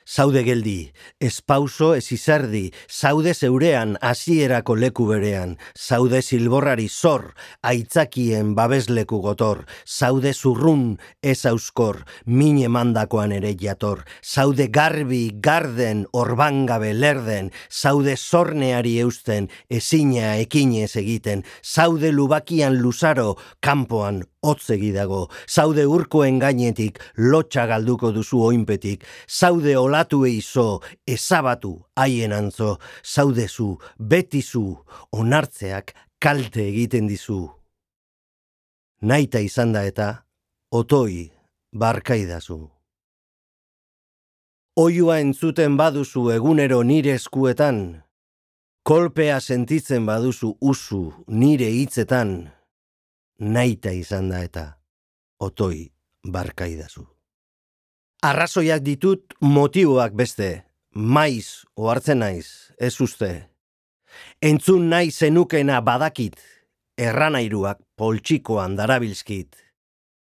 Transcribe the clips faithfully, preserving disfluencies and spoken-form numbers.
Zaude geldi, ez pauso ez izerdi, zaude zeurean hasierako leku berean, zaude zilborrari zor, aitzakien babesleku gotor, zaude zurrun ez auskor, min emandakoan ere jator, zaude garbi, garden, orbangabe lerden, zaude zorneari eusten, ezina ekinez egiten, zaude lubakian luzaro, kanpoan hotzegi dago, zaude urkoen gainetik, lotxa galduko duzu oinpetik, zaude olatu eizo, ezabatu haien antzo, zaudezu, betizu, onartzeak kalte egiten dizu. Naita izan da eta, otoi, barkaidazu. Oiua entzuten baduzu egunero nire eskuetan, kolpea sentitzen baduzu usu nire hitzetan, naita izan da eta, otoi, barkaidazu. Arrazoiak ditut motiboak beste, maiz ohartzen naiz, ez uste. Entzun nahi zenukena badakit, erranairuak poltsikoan darabilzkit.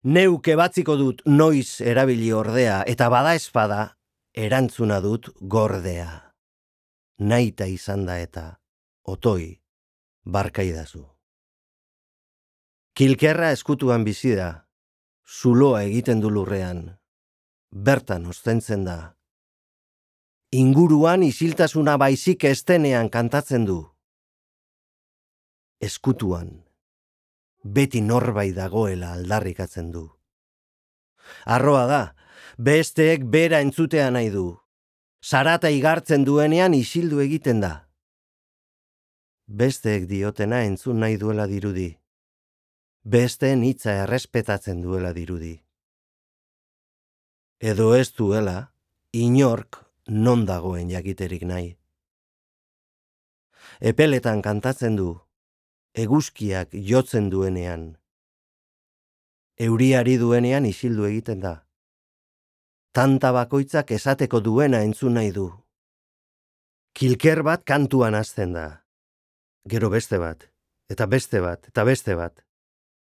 Neuk ebatziko dut noiz erabili ordea, eta bada espada, erantzuna dut gordea. Naita izan da eta, otoi, barkaidazu. Kilkerra eskutuan bizi da, zuloa egiten du lurrean, bertan ostentzen da. Inguruan isiltasuna baizik estenean kantatzen du. Eskutuan, beti norbait dagoela aldarrikatzen du. Arroa da, besteek bera entzutea nahi du. Zarata igartzen duenean isildu egiten da. Besteek diotena entzun nahi duela dirudi. Besteen hitza errespetatzen duela dirudi. Edo ez duela, inork non dagoen jakiterik nahi. Epeletan kantatzen du, eguzkiak jotzen duenean. Euriari duenean isildu egiten da. Tanta bakoitzak esateko duena entzun nahi du. Kilker bat kantuan hasten da. Gero beste bat, eta beste bat, eta beste bat.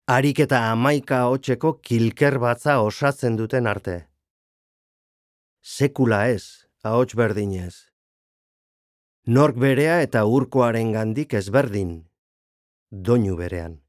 Harik eta hamaika hotseko kilker batza osatzen duten arte. Sekula ez, ahots berdinez. Nork berea eta urkoaren gandik ezberdin, doinu berean.